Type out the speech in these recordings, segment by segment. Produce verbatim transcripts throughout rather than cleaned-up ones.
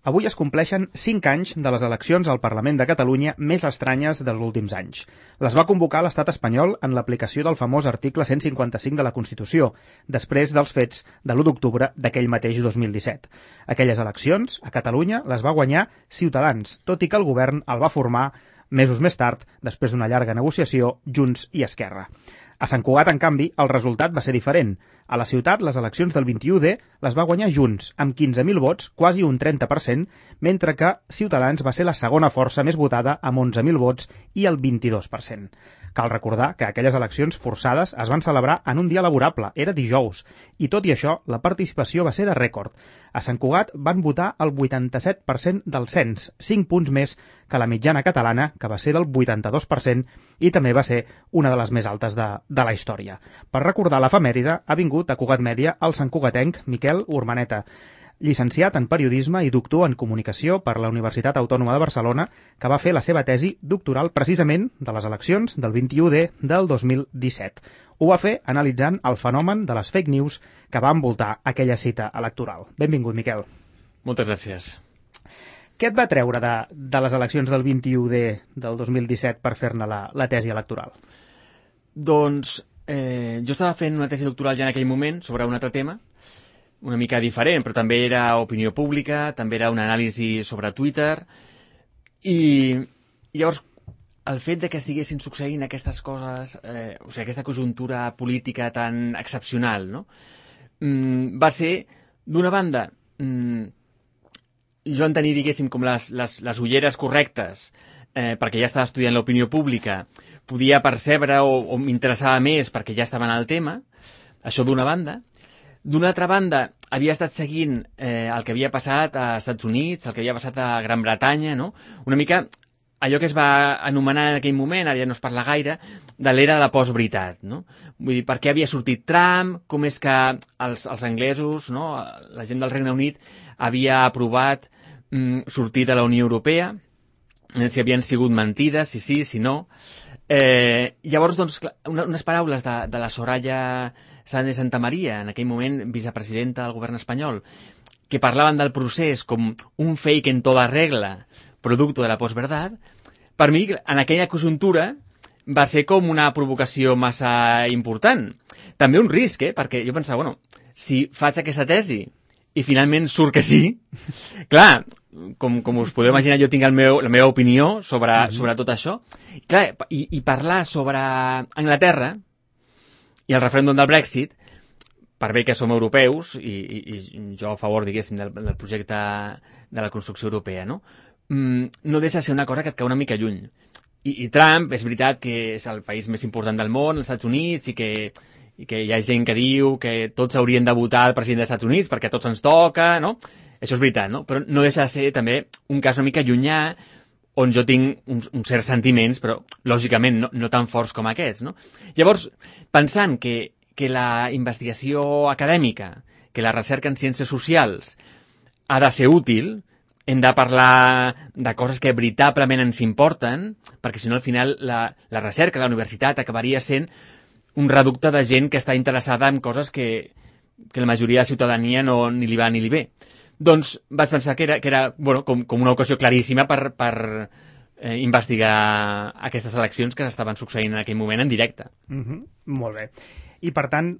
Avui es compleixen cinc anys de les eleccions al Parlament de Catalunya més estranyes dels últims anys. Les va convocar l'estat espanyol en l'aplicació del famós article cent cinquanta-cinc de la Constitució, després dels fets de l'u d'octubre d'aquell mateix dos mil disset. Aquelles eleccions, a Catalunya, les va guanyar Ciutadans, tot i que el govern el va formar mesos més tard, després d'una llarga negociació, Junts i Esquerra. A Sant Cugat, en canvi, el resultat va ser diferent. A la ciutat, les eleccions del vint-i-u de les va guanyar Junts, amb quinze mil vots, quasi un trenta per cent, mentre que Ciutadans va ser la segona força més votada, amb onze mil vots i el vint-i-dos per cent. Cal recordar que aquelles eleccions forçades es van celebrar en un dia laborable, era dijous, i tot i això, la participació va ser de rècord. A Sant Cugat van votar el vuitanta-set per cent del cens, cinc punts més que la mitjana catalana, que va ser del vuitanta-dos per cent, i també va ser una de les més altes de, de la història. Per recordar l'efemèride, ha vingut a Cugat Mèdia el santcugatenc Miquel Urmaneta, llicenciat en periodisme i doctor en comunicació per la Universitat Autònoma de Barcelona, que va fer la seva tesi doctoral precisament de les eleccions del vint-i-u de del dos mil disset. Ho va fer analitzant el fenomen de les fake news que va envoltar aquella cita electoral. Benvingut, Miquel. Moltes gràcies. Què et va treure de, de les eleccions del vint-i-u de del dos mil disset per fer-ne la, la tesi electoral? Doncs eh, jo estava fent una tesi doctoral ja en aquell moment sobre un altre tema, una mica diferent, però també era opinió pública, també era una anàlisi sobre Twitter, i, i llavors el fet de que estiguessin succeint aquestes coses, eh, o sigui, aquesta conjuntura política tan excepcional, no? Mm, va ser, d'una banda, mm, jo en tenir, diguéssim, com les, les, les ulleres correctes, eh, perquè ja estava estudiant l'opinió pública, podia percebre o, o m'interessava més perquè ja estava en el tema, això d'una banda. D'una altra banda, havia estat seguint eh, el que havia passat als Estats Units, el que havia passat a Gran Bretanya, no? Una mica allò que es va anomenar en aquell moment, ara ja no es parla gaire, de l'era de la postveritat, no? Vull dir, per què havia sortit Trump, com és que els, els anglesos, no? La gent del Regne Unit havia aprovat mm, sortir de la Unió Europea, si havien sigut mentides, si sí, si no. Eh, llavors, doncs, una, unes paraules de, de la Soraya Sáenz de Santamaría, en aquell moment vicepresidenta del govern espanyol, que parlaven del procés com un fake en toda regla, producto de la postverdad, per mi, en aquella conjuntura, va ser com una provocació massa important. També un risc, eh? Perquè jo pensava, bueno, si faig aquesta tesi i finalment surt que sí, clar, com, com us podeu imaginar, jo tinc el meu, la meva opinió sobre, mm-hmm. sobre tot això, clar, i, i parlar sobre Anglaterra i el referèndum del Brexit, per bé que som europeus, i, i, i jo a favor, diguéssim, del, del projecte de la construcció europea, no? Mm, no deixa de ser una cosa que et cau una mica lluny. I, I Trump, és veritat que és el país més important del món, els Estats Units, i que, i que hi ha gent que diu que tots haurien de votar el president dels Estats Units perquè a tots ens toca, no? Això és veritat, no? Però no deixa de ser també un cas una mica llunyà, on jo tinc uns, uns certs sentiments, però lògicament no, no tan forts com aquests, no? Llavors, pensant que, que la investigació acadèmica, que la recerca en ciències socials ha de ser útil, hem de parlar de coses que veritablement ens importen, perquè si no al final la, la recerca de la universitat acabaria sent un reducte de gent que està interessada en coses que, que la majoria de la ciutadania no ni li va ni li ve. Doncs vaig pensar que era, que era bueno, com, com una ocasió claríssima per, per eh, investigar aquestes eleccions que s'estaven succeint en aquell moment en directe. Mm-hmm. Molt bé. I per tant,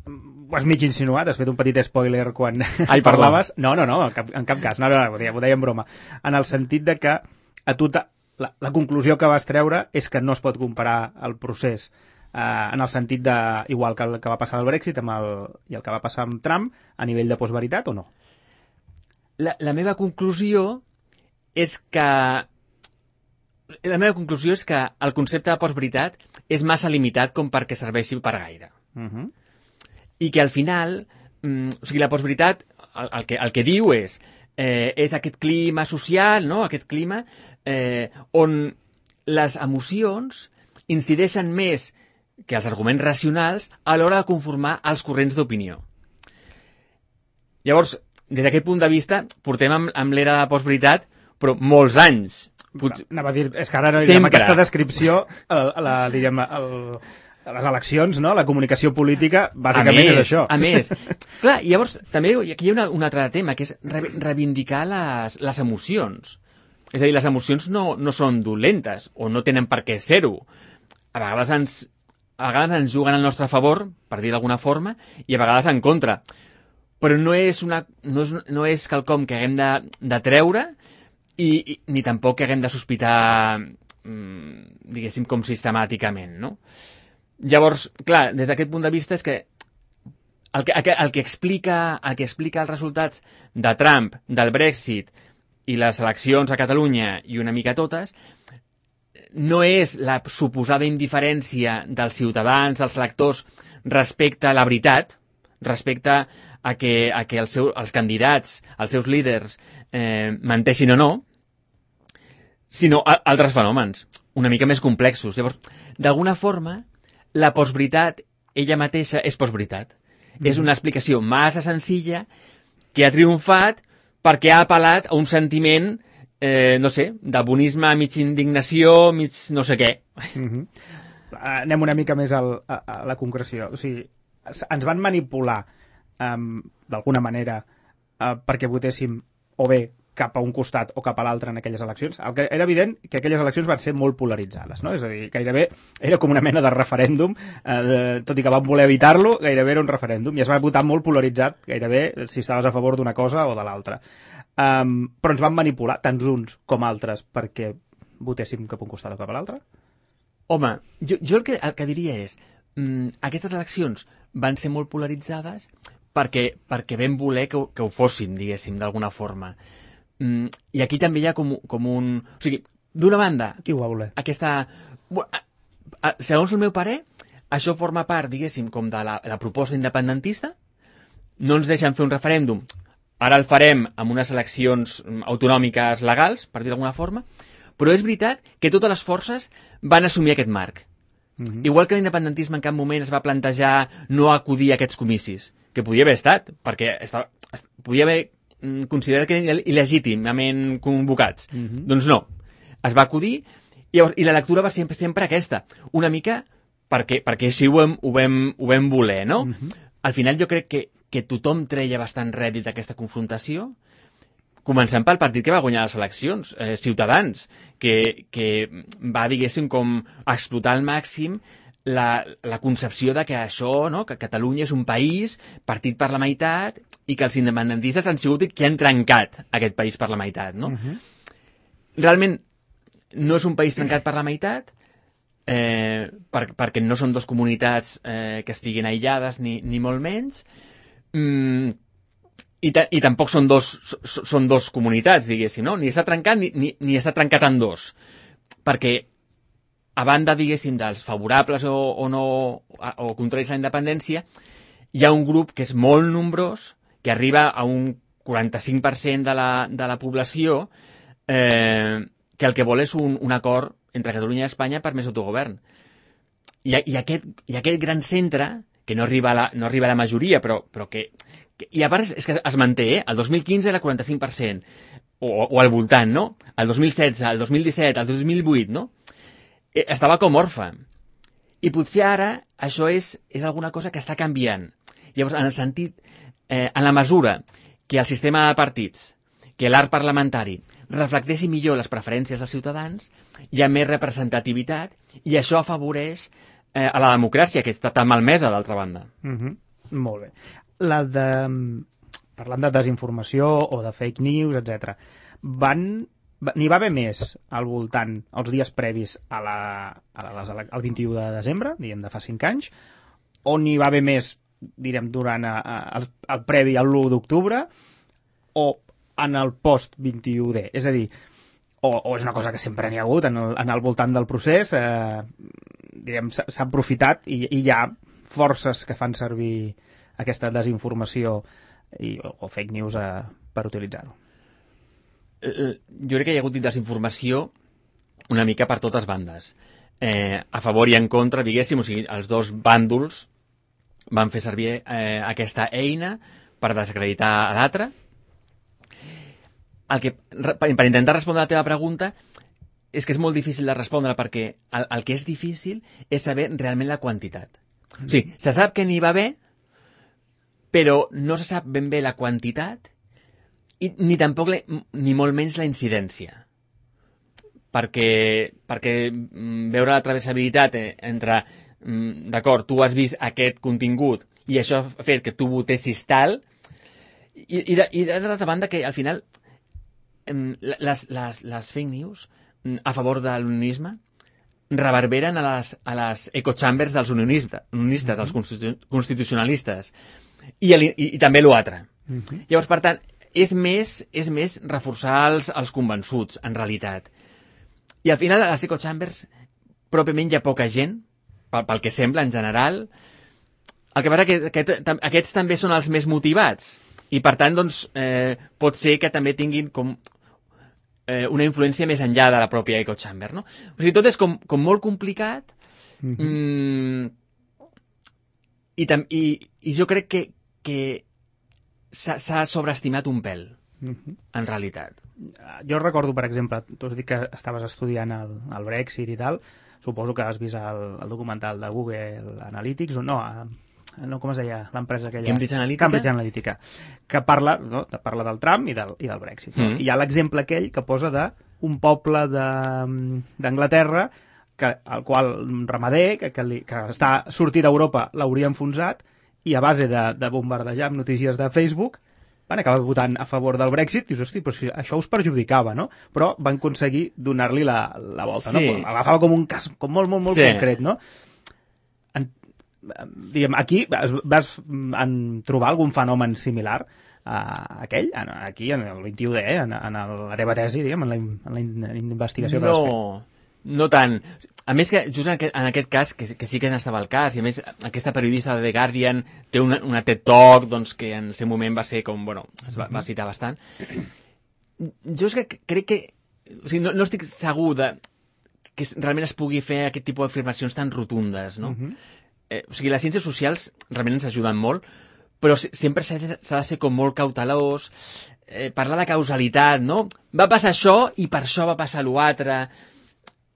ho has mig insinuat, has fet un petit spoiler quan Ai, parlaves. No, no, no, en cap, en cap cas, no, no, ho deia, ho deia en broma. En el sentit de que a tu la, la conclusió que vas treure és que no es pot comparar el procés eh, en el sentit de, igual que el que va passar al Brexit amb el, i el que va passar amb Trump, a nivell de postveritat o no? La, la meva conclusió és que la meva conclusió és que el concepte de postveritat és massa limitat com perquè serveixi per gaire. Uh-huh. I que al final, mm, o sigui, la postveritat el, el, que, el que diu és eh, és aquest clima social, no? Aquest clima eh, on les emocions incideixen més que els arguments racionals a l'hora de conformar els corrents d'opinió. Llavors, des d'aquest punt de vista, portem amb, amb l'era de postveritat, però molts anys. Pot... Anava a dir, és que ara no, amb aquesta descripció, el, la, diríem, el, les eleccions, no? La comunicació política, bàsicament més, és això. A més, clar, llavors, també aquí hi ha una, un altre tema, que és re reivindicar les, les emocions. És a dir, les emocions no, no són dolentes, o no tenen per què ser-ho. A vegades ens, a vegades ens juguen al nostre favor, per dir d'alguna forma, i a vegades en contra. Però no és, una, no és, no és quelcom que haguem de, de treure, i, i ni tampoc que haguem de sospitar, mmm, diguéssim, com sistemàticament, no? Llavors, clar, des d'aquest punt de vista és que el que, el que, el que, explica, el que explica els resultats de Trump, del Brexit i les eleccions a Catalunya i una mica totes, no és la suposada indiferència dels ciutadans, dels electors, respecte a la veritat, respecte a que, a que els, seu, els candidats, els seus líders, eh, menteixin o no, sinó a, altres fenòmens, una mica més complexos. Llavors, d'alguna forma, la postveritat, ella mateixa, és postveritat. Mm. És una explicació massa senzilla que ha triomfat perquè ha apel·lat a un sentiment, eh, no sé, de bonisme, mig indignació, mig no sé què. Mm-hmm. Anem una mica més al, a, a la concreció. O sigui, ens van manipular um, d'alguna manera uh, perquè votéssim o bé cap a un costat o cap a l'altre en aquelles eleccions. El que era evident que aquelles eleccions van ser molt polaritzades, no? És a dir, gairebé era com una mena de referèndum, eh, de, tot i que van voler evitar-lo, gairebé era un referèndum, i es va votar molt polaritzat, gairebé si estaves a favor d'una cosa o de l'altra. Um, però ens van manipular, tant uns com altres, perquè votéssim cap a un costat o cap a l'altre? Home, jo, jo el, que, el que diria és, mm, aquestes eleccions van ser molt polaritzades perquè, perquè vam voler que, que ho fossin, diguéssim, d'alguna forma. Mm, I aquí també hi ha com, com un... O sigui, d'una banda... Qui ho va voler? Aquesta... Segons el meu parer, això forma part, diguéssim, com de la, la proposta independentista. No ens deixen fer un referèndum. Ara el farem amb unes eleccions autonòmiques legals, per dir d'alguna forma. Però és veritat que totes les forces van assumir aquest marc. Mm-hmm. Igual que l'independentisme en cap moment es va plantejar no acudir a aquests comicis, que podia haver estat, perquè estava, podia haver considerat que eren il·legítimament convocats. Mm-hmm. Doncs no. Es va acudir i, i la lectura va ser sempre, sempre aquesta. Una mica perquè, perquè així ho vam, ho vam, ho vam voler, no? Mm-hmm. Al final jo crec que, que tothom treia bastant rèdit d'aquesta confrontació, començant pel partit que va guanyar les eleccions, eh, Ciutadans, que, que va, diguéssim, com explotar al màxim la, la concepció de que això, no?, que Catalunya és un país partit per la meitat i que els independentistes han sigut qui han trencat aquest país per la meitat, no? Uh-huh. Realment no és un país trencat per la meitat, eh, per, perquè no són dues comunitats eh, que estiguin aïllades ni, ni molt menys, mm, i, ta, i tampoc són dos, són dos comunitats, diguéssim, no? Ni està trencat ni, ni, ni està trencat en dos, perquè a banda, diguéssim, dels favorables o, o no, o contraris a la independència, hi ha un grup que és molt nombrós, que arriba a un quaranta-cinc per cent de la, de la població, eh, que el que vol és un, un acord entre Catalunya i Espanya per més autogovern. I, i, aquest, i aquest gran centre, que no arriba a la, no arriba a la majoria, però, però que, que... I a part és, és que es manté, eh? El dos mil quinze era quaranta-cinc per cent, o, o al voltant, no? El dos mil setze, el dos mil disset, el dos mil vuit, no? Estava com orfe. I potser ara això és, és alguna cosa que està canviant. Llavors, en el sentit, eh, en la mesura que el sistema de partits, que l'art parlamentari reflecteixi millor les preferències dels ciutadans, hi ha més representativitat i això afavoreix eh, a la democràcia, que està tan malmesa, d'altra banda. Mm-hmm. Molt bé. La de... Parlant de desinformació o de fake news, etcètera, van... N'hi va haver més al voltant, els dies previs a la, a la, al vint-i-u de desembre, diguem, de fa cinc anys, o n'hi va haver més, direm, durant a, a, el, el previ a l'u d'octubre, o en el post-vint-i-u de. És a dir, o, o és una cosa que sempre n'hi ha hagut en el, en el voltant del procés, eh, diguem, s'ha aprofitat i, i hi ha forces que fan servir aquesta desinformació i, o, o fake news eh, per utilitzar-ho. Jo crec que hi ha hagut desinformació una mica per totes bandes. Eh, a favor i en contra, diguéssim, o sigui, els dos bàndols van fer servir eh, aquesta eina per desacreditar a l'altre. El que, per intentar respondre a la teva pregunta, és que és molt difícil de respondre perquè el, el que és difícil és saber realment la quantitat. Mm. O sigui, se sap que n'hi va haver, però no se sap ben bé la quantitat i ni tampoc, la, ni molt menys la incidència. Perquè, perquè veure la travessabilitat entre, d'acord, tu has vist aquest contingut i això ha fet que tu votessis tal, i, i, de, i d'altra banda que al final les, les, les fake news a favor de l'unionisme reverberen a les, a les echo chambers dels unionistes, unionistes mm-hmm. dels constitucionalistes, i, i, i també l'altre. Mm-hmm. Llavors, per tant, és més, és més reforçar els, els convençuts, en realitat. I al final, a les echo chambers, pròpiament hi ha poca gent, pel, pel que sembla, en general. El que passa que aquest, aquests també són els més motivats, i per tant, doncs, eh, pot ser que també tinguin com eh, una influència més enllà de la pròpia echo chamber, no? O sigui, tot és com, com molt complicat, mm-hmm. mm, i, tam, i, i jo crec que, que s'ha sobreestimat un pèl, mm-hmm. en realitat. Jo recordo, per exemple, tu has dit que estaves estudiant el, el Brexit i tal, suposo que has vist el, el documental de Google Analytics, o no, no com es deia l'empresa aquella? Cambridge Analytica. Cambridge Analytica, que parla, no, parla del Trump i del, i del Brexit. No? Mm. I hi ha l'exemple aquell que posa d'un poble d'Anglaterra que, al qual ramader, que, que, li, que està sortit d'Europa, l'hauria enfonsat, i a base de, de bombardejar amb notícies de Facebook van acabar votant a favor del Brexit, i dius, hosti, però si això us perjudicava, no? Però van aconseguir donar-li la, la volta, sí. no? Agafava com un cas com molt, molt, molt sí. concret, no? En, diguem, aquí vas, vas en trobar algun fenomen similar a aquell, aquí, en el vint-i-u D, en, en la teva tesi, diguem, en la, en la investigació que no, vas fer? No tant. A més que, just en aquest, en aquest cas, que, que sí que n'estava el cas, i a més aquesta periodista de The Guardian té una, una TED Talk, doncs, que en el seu moment va ser com, bueno, es va, va citar bastant. Jo és que crec que, o sigui, no, no estic segur de que realment es pugui fer aquest tipus d'afirmacions tan rotundes, no? Uh-huh. eh, o sigui, les ciències socials realment ens ajuden molt, però sempre s'ha de, s'ha de ser com molt cautelós, eh, parlar de causalitat, no? Va passar això i per això va passar l'altre.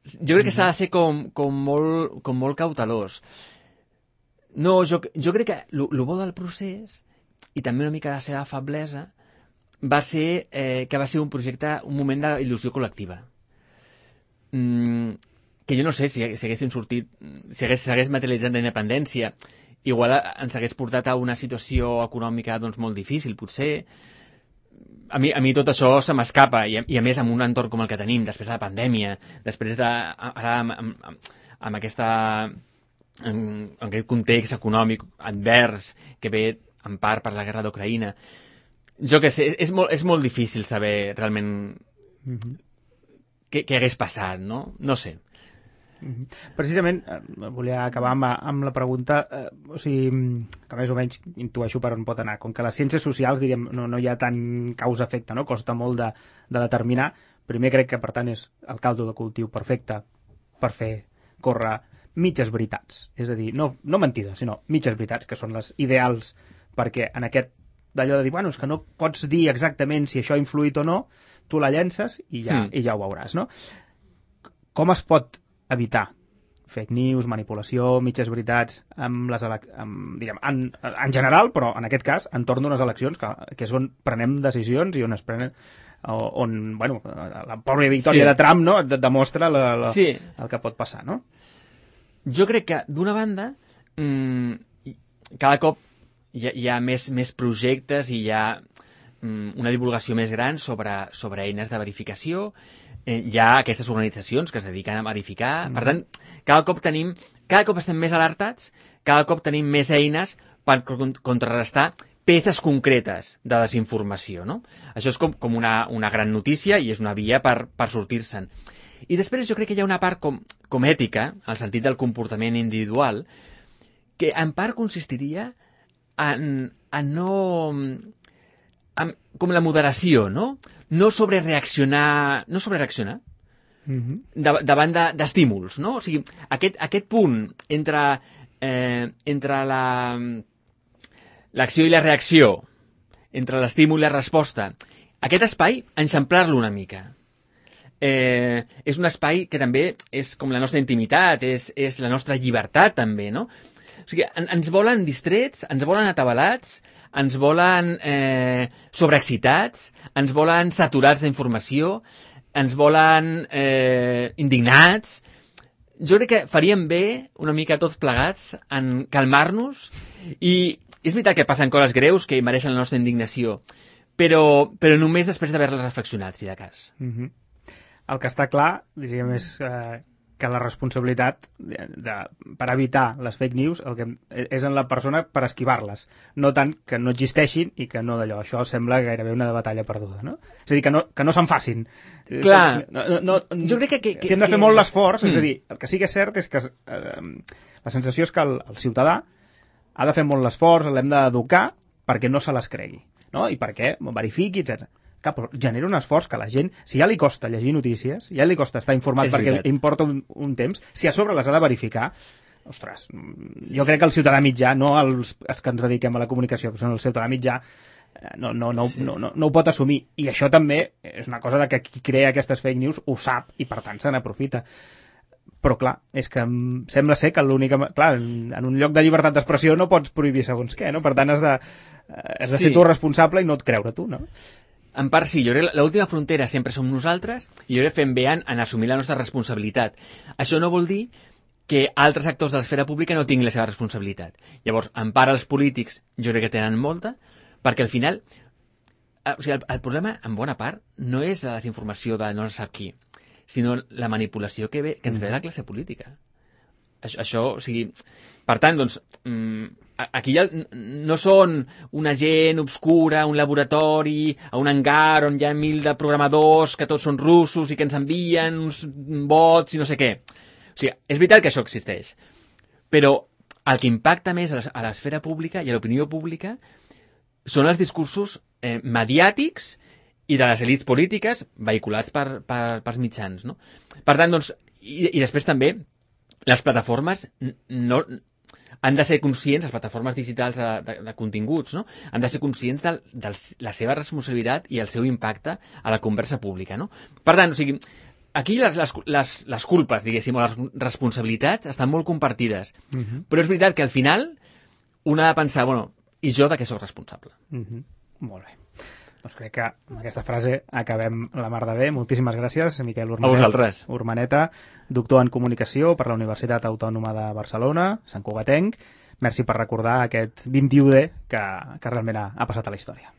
Jo crec que s'ha de ser com, com, molt, com molt cautelós. No, jo, jo crec que el bo del procés, i també una mica la seva feblesa, va ser eh, que va ser un projecte, un moment d'il·lusió col·lectiva. Mm, que jo no sé si, si haguéssim sortit, si hagués, s'hagués materialitzat la independència, igual ens hagués portat a una situació econòmica doncs, molt difícil, potser. A mi, a mi tot això se m'escapa, i, i a més amb un entorn com el que tenim, després de la pandèmia, després de, ara amb, amb, amb aquesta, en, en aquest context econòmic advers que ve en part per la guerra d'Ucraïna. Jo què sé, és molt, és molt difícil saber realment mm-hmm. què, què hagués passat, no? No sé. Precisament, eh, volia acabar amb, amb la pregunta, eh, o sigui, que més o menys intueixo per on pot anar. Com que les ciències socials, diríem, no, no hi ha tant causa-efecte, no? Costa molt de, de determinar. Primer crec que, per tant, és el caldo de cultiu perfecte per fer córrer mitges veritats. És a dir, no, no mentides, sinó mitges veritats, que són les ideals, perquè en aquest d'allò de dir, bueno, és que no pots dir exactament si això ha influït o no, tu la llences i ja, mm. i ja ho veuràs, no? Com es pot evitar fake news, manipulació, mitges veritats amb les elec- amb, diguem, en, en general, però en aquest cas entorn d'unes eleccions que, que és on prenem decisions i on es prenen on, bueno, la pròpia victòria sí. de Trump, no?, demostra la, la, sí. el que pot passar, no? Jo crec que, d'una banda, mmm, cada cop hi ha, hi ha més, més projectes i hi ha mmm, una divulgació més gran sobre, sobre eines de verificació. Eh, hi ha aquestes organitzacions que es dediquen a verificar. Mm. Per tant, cada cop tenim, cada cop estem més alertats, cada cop tenim més eines per contrarrestar peces concretes de desinformació, no? Això és com, com una, una gran notícia i és una via per, per sortir-se'n. I després jo crec que hi ha una part com, com ètica, al sentit del comportament individual, que en part consistiria en, en no... En, com la moderació, no? No sobrereaccionar, no sobrereaccionar mm-hmm. de, davant de, d'estímuls, no? O sigui, aquest, aquest punt entre, eh, entre la, l'acció i la reacció, entre l'estímul i la resposta, aquest espai, enxamplar-lo una mica. eh, és un espai que també és com la nostra intimitat, és, és la nostra llibertat també, no? O sigui, en, ens volen distrets, ens volen atabalats, ens volen eh, sobreexcitats, ens volen saturats d'informació, ens volen eh, indignats. Jo crec que faríem bé, una mica tots plegats, en calmar-nos, i és veritat que passen coses greus que mereixen la nostra indignació, però, però només després d'haver-les reflexionat, si de cas. Mm-hmm. El que està clar, diríem, és eh, que la responsabilitat de, de, per evitar les fake news el que, és en la persona per esquivar-les, no tant que no existeixin i que no d'allò. Això sembla gairebé una batalla perduda, no? És a dir, que no, que no se'n facin. Clar, no, no, jo crec que... que, que si hem de fer que... molt l'esforç, mm. és a dir, el que sí que és cert és que eh, la sensació és que el, el ciutadà ha de fer molt l'esforç, l'hem d'educar perquè no se les cregui, no? I perquè verifiqui, etcètera. Clar, però genera un esforç que la gent, si ja li costa llegir notícies, ja li costa estar informat és perquè veritat. importa un, un temps, si a sobre les ha de verificar, ostres, jo crec que el ciutadà mitjà, no els, els que ens dediquem a la comunicació, que són el ciutadà mitjà, no, no, no, sí. no, no, no ho pot assumir. I això també és una cosa de que qui crea aquestes fake news ho sap i per tant se n'aprofita. Però clar, és que sembla ser que l'única... Clar, en un lloc de llibertat d'expressió no pots prohibir segons què, no? Per tant has de, has de sí. ser tu responsable i no et creure tu, no? En part sí, jo crec que l'última frontera sempre som nosaltres i jo crec que fem bé en, en assumir la nostra responsabilitat. Això no vol dir que altres actors de l'esfera pública no tinguin la seva responsabilitat. Llavors, en part els polítics jo crec que tenen molta, perquè al final, o sigui, el, el problema, en bona part, no és la desinformació de no sap qui, sinó la manipulació que, ve, que ens ve de la classe política. Això, això o sigui... Per tant, doncs, aquí ja no són una gent obscura, un laboratori, a un hangar on hi ha mil de programadors que tots són russos i que ens envien uns bots i no sé què. O sigui, és veritat que això existeix. Però el que impacta més a l'esfera pública i a l'opinió pública són els discursos eh, mediàtics i de les elits polítiques vehiculats per, per, per mitjans, no? Per tant, doncs, i, i després també les plataformes no... han de ser conscients, les plataformes digitals de, de, de continguts, no? Han de ser conscients de, de la seva responsabilitat i el seu impacte a la conversa pública, no? Per tant, o sigui, aquí les, les, les, les culpes, diguéssim, o les responsabilitats estan molt compartides. Uh-huh. Però és veritat que al final un ha de pensar, bueno, i jo de què sóc responsable? Uh-huh. Molt bé. Doncs crec que amb aquesta frase acabem la mar de bé. Moltíssimes gràcies, Miquel Urmaneta. A vosaltres. Urmaneta, doctor en Comunicació per la Universitat Autònoma de Barcelona, Sant Cugatenc. Merci per recordar aquest vint-i-u D que, que realment ha, ha passat a la història.